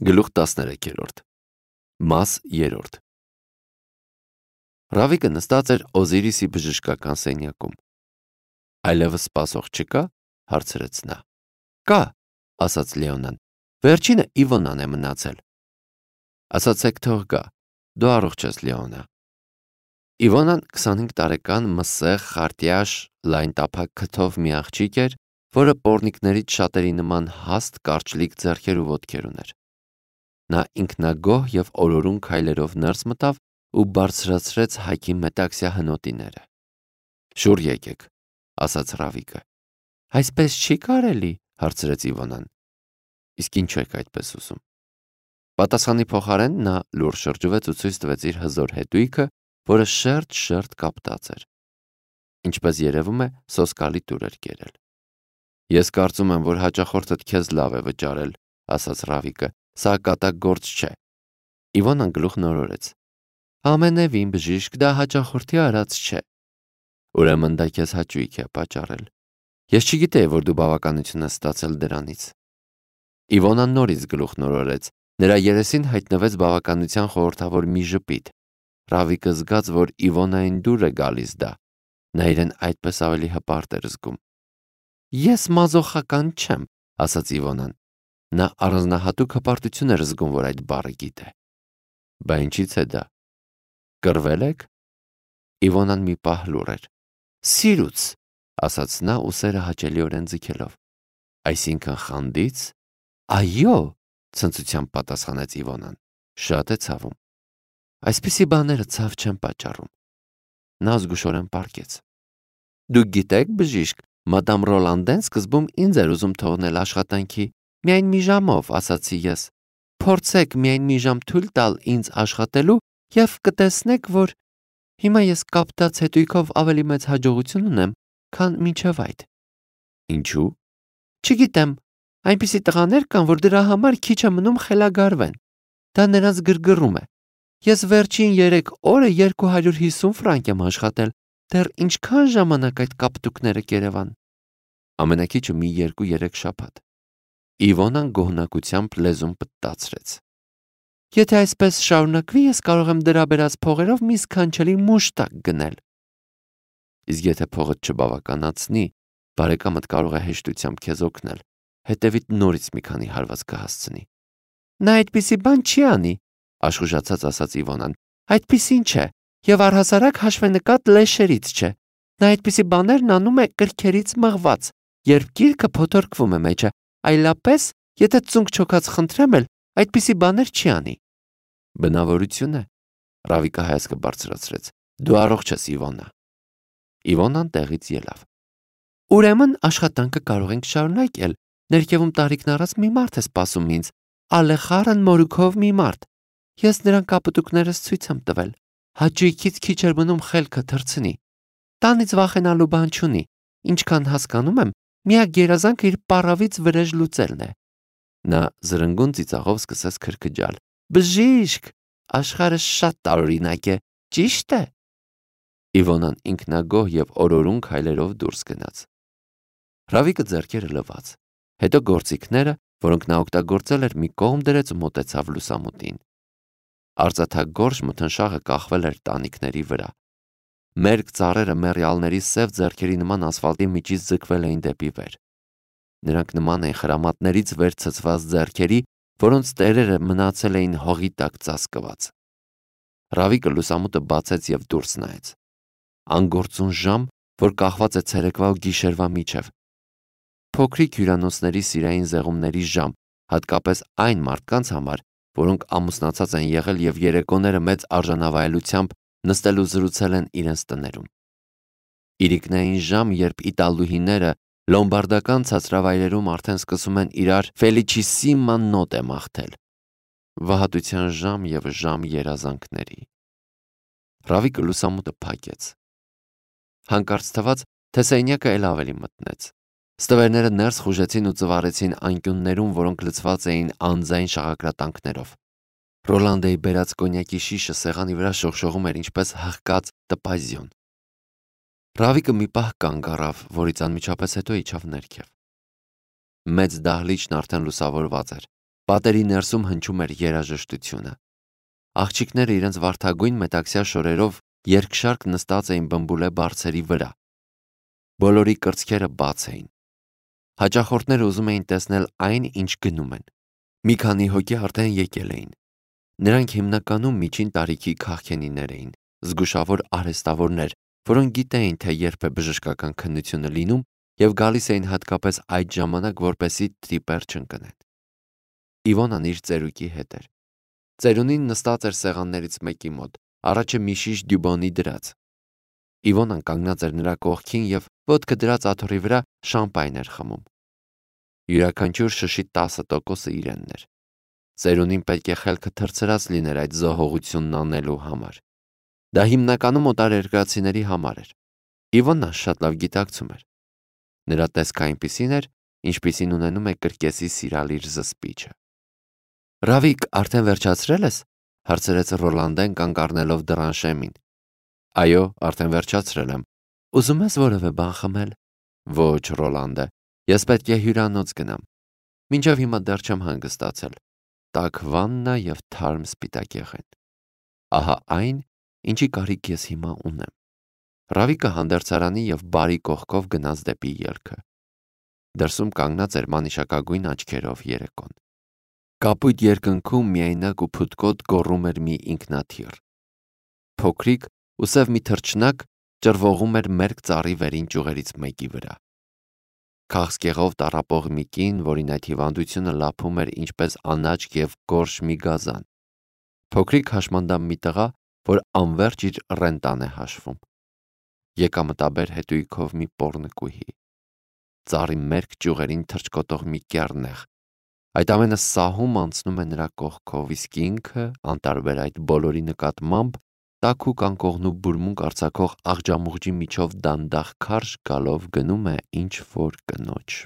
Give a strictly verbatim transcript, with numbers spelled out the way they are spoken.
Գլուխ տասներեքերորդ Մաս երրորդ Ռավիկը նստած էր Օզիրիսի բժշկական սենյակում։ Այլևս սպասող չկա, հարցրեց նա։ Կա, ասաց Լեոնան, վերջինը Իվոնան է մնացել։ Ասացեք թող գա, դու առողջ ես, Լեոնա։ Իվոնան քսանհինգ տարեկան մսեղ, խարտյաշ, լայն տափակ քթով մի աղջիկ էր, որը պոռնիկներից շատերի նման հաստ, կարճլիկ ձեռքեր ու ոտքեր ուներ։ Նա ինքնագոհ և օրորուն քայլերով ներս մտավ ու բարձրացրեց Հայկի մետաքսյա հնոտիները։ Շուռ եկեք, ասաց Ռավիկը։ Այսպես չի կարելի, հարցրեց Իվոնան։ Իսկ ինչու եք այդպես ուզում։ Պատասխանի փոխարեն նա լուռ շրջվեց ու ցույց տվեց իր հզոր հետույքը, որը շերտ-շերտ կապտած էր։ Ինչպես երևում է, սոսկալի տուր էր կերել։ Ես կարծում եմ, որ հաճախորդդ քեզ լավ է վճարել, ասաց Ռավիկը, սա կատակ գործ չէ։ Իվոնան գլուխ նորորեց։ Ամենևին բժիշկ, դա հաճախորդի արած չէ։ Ուրեմն դա քեզ հաճույք է պատճառել։ Ես չգիտեի, որ դու բավականություն ես ստացել դրանից։ Իվոնան նորից գլուխ նորորեց։ Նրա երեսին հայտնվեց բավականության խորհրդավոր մի ժպիտ։ Ռավիկը զգաց, որ Իվոնային դուր է գալիս դա։ Նա իրեն այդպես ավելի հպարտ էր զգում։ Ես մազոխական չեմ, ասաց Իվոնան։ Նա առանձնահատուկ հպարտություն էր զգում, որ այդ բառը գիտե։ Բա ինչից է դա։ Կռվել եք։ Իվոնան մի պահ լուռ էր։ Սիրուց, ասաց նա ուսերը հաճելիորեն ձգելով։ Այսինքն խանդից։ Այո, ցնծությամբ պատասխանեց Իվոնան։ Շատ է ցավում։ Այսպիսի բաները ցավ չեն պատճառում։ Նա զգուշորեն պառկեց։ Դուք գիտեք, բժիշկ, մադամ Ռոլանդեն սկզբում ինձ էր ուզում թողնել աշխատանքի։ Միայն մի ժամով, ասացի ես։ Փորձեք միայն մի ժամ թույլ տալ ինձ աշխատելու և կտեսնեք, որ հիմա ես կապտած հետույքով ավելի մեծ հաջողություն ունեմ, քան մինչև այդ։ Ինչու։ Չգիտեմ, այնպիսի տղաներ կան, որ դրա համար քիչ է մնում խելագարվեն։ Դա նրանց գրգռում է։ Ես վերջին երեք օրը երկու հարյուր հիսուն ֆրանկ եմ աշխատել։ Դեռ ինչքան ժամանակ այդ կապտուկները կերևան։ Ամենակիչը մի երկու-երեք շաբաթ։ Իվոնան գոհնակությամբ լեզուն պտտացրեց։ Եթե այսպես շարունակվի, ես կարող եմ դրա բերած փողերով մի սքանչելի մուշտակ գնել։ Իսկ եթե փողդ չբավականացնի, բարեկամդ կարող է հեշտությամբ քեզ օգնել, հետևից նորից մի քանի հարված կհասցնի։ Նա այդպիսի բան չի անի, աշխուժացած ասաց Իվոնան։ Այդպիսին չէ, և առհասարակ հաշվենկատ լեշերից չէ։ Նա այդպիսի բաներն անում է կրքերից մղված, երբ գիրքը փոթորկվում է մեջը, այլապես, եթե ծունկ չոքած խնդրեմ էլ, այդպիսի բաներ չի անի։ Բնավորություն է, Ռավիկը հայացքը բարձրացրեց։ Դու առողջ ես, Իվոնա։ Իվոնան տեղից ելավ։ Ուրեմն աշխատանքը կարող ենք շարունակել։ Ներքևում տարիքն առած մի մարդ է սպասում ինձ, Ալեխարն Մորուքով մի մարդ։ Ես նրան կապտուկներս ցույց եմ տվել։ Հաճույքից քիչ էր մնում խելքը թռցնի։ Տանից վախենալու բան չունի։ Ինչքան հասկանում եմ, միակ երազանքը իր պառավից վրեժ լուծելն է։ Նա զրնգուն ծիծաղով սկսեց քրքջալ։ Բժիշկ, աշխարհը շատ տարօրինակ է, ճիշտ է։ Իվոնան ինքնագոհ և օրորուն քայլերով դուրս գնաց։ Ռավիկը ձեռքերը լվաց։ Հետո գործիքները, որոնք նա օգտագործել էր, մի կողմ դրեց ու մոտեցավ լուսամուտին։ Արծաթագորշ մթնշաղը կախվել էր տանիքների վրա։ Մերկ ծառերը մեռյալների սև ձեռքերի նման ասֆալտի միջից ձգվել էին դեպի վեր։ Նրանք նման էին խրամատներից վեր ցցված ձեռքերի, որոնց տերերը մնացել էին հողի տակ ծածկված։ Ռավիկը լուսամուտը բացեց և դուրս նայեց։ Անգործուն ժամ, որ կախված է ցերեկվա ու գիշերվա միջև։ Փոքրիկ հյուրանոցների սիրային զեղումների ժամ, հատկապես այն մարդկանց համար, որոնք ամուսնացած են եղել և երեկոները մեծ արժանավայելությամբ նստել ու զրուցել են իրենց տներում։ Իրիկնային ժամ, երբ իտալուհիները լոմբարդական ցածրավայրերում արդեն սկսում են իրար Ֆելիչիսիմա նոտե մաղթել։ Վհատության ժամ և ժամ երազանքների։ Ռավիկը լուսամուտը փակեց։ Հանկարծ թվաց, թե սենյակը էլ ավելի մթնեց։ Ստվերները ներս խուժեցին ու ծվարեցին անկյուններում, որոնք լցված էին անձայն շաղակրատանքներով։ Ռոլանդեի բերած կոնյակի շիշը սեղանի վրա շողշողում էր ինչպես հղկած տպազիոն։ Ռավիկը մի պահ կանգ առավ, որից անմիջապես հետո իջավ ներքև։ Մեծ դահլիճն արդեն լուսավորված էր։ Պատերի ներսում հնչում էր երաժշտությունը։ Աղջիկները իրենց վարդագույն մետաքսյա շորերով երկշարք նստած էին բմբուլե բարձերի վրա։ Բոլորի կրծքերը բաց էին։ Հաճախորդները ուզում էին տեսնել այն, ինչ գնում են։ Մի քանի հոգի արդեն եկել էին։ Նրանք հիմնականում միջին տարիքի քաղքենիներ էին, զգուշավոր արհեստավորներ, որոնք գիտեին, թե երբ է բժշկական քննությունը լինում և գալիս էին հատկապես այդ ժամանակ, որպեսզի տրիպեր չընկնեն։ Իվոնան իր ծերուկի հետ էր։ Ծերունին նստած էր սեղաններից մեկի մոտ, առաջը մի շիշ դյուբոնի դրած։ Իվոնան կանգնած էր նրա կողքին և ոտքը դրած աթոռի վրա շամպայն էր խմում։ Յուրաքանչյուր շշի տասը տոկոսը իրենն էր։ Ծերունին պետք է խելքը թռցրած լիներ այդ զոհողությունն անելու համար։ Դա հիմնականում օտարերկրացիների համար էր։ Իվոնան շատ լավ գիտակցում էր։ Նրա տեսքը այնպիսին էր, ինչպիսին ունենում է կրկեսի սիրալիր զսպիչը։ Ռավիկ, արդեն վերջացրել ես, հարցրեց Ռոլանդեն կանգ առնելով դռան շեմին։ Այո, արդեն վերջացրել եմ։ Ուզում ես որևէ բան խմել։ Ոչ, Ռոլանդե, ես պետք է հյուրանոց գնամ։ Մինչև հիմա դեռ չեմ հանգստացել։ Տաք վաննա և թարմ սպիտակ եղեն։ Ահա այն, ինչի կարիք ես հիմա ունեմ։ Ռավիկը հանդերձարանի և բարի կողքով գնաց դեպի ելքը։ Դրսում կանգնած էր մանիշակագույն աչքերով երեկոն։ Կապույտ երկնքում միայնակ ու փութկոտ գոռում էր մի ինքնաթիռ։ Փոքրիկ ու սև մի թռչնակ ճռվողում էր մերկ ծառի վերին ճյուղերից մեկի վրա։ Քաղցկեղով տառապող մի կին, որին այդ հիվանդությունը լափում էր ինչպես անաչք և գորշ մի գազան։ Փոքրիկ հաշմանդամ մի տղա, որ անվերջ իր ռենտան է հաշվում։ Եկամտաբեր հետույքով մի պոռնկուհի։ Ծառի մերկ ճյուղերին թռչկոտող մի կեռնեխ։ Այդ ամենը սահում անցնում է նրա կողքով, իսկ ինքը, անտարբեր այդ բոլորի նկատմամբ, տաքուկ անկողնու բուրմունք արձակող աղջամուղջի միջով դանդաղ քարշ գալով գնում է ինչ-որ կնոջ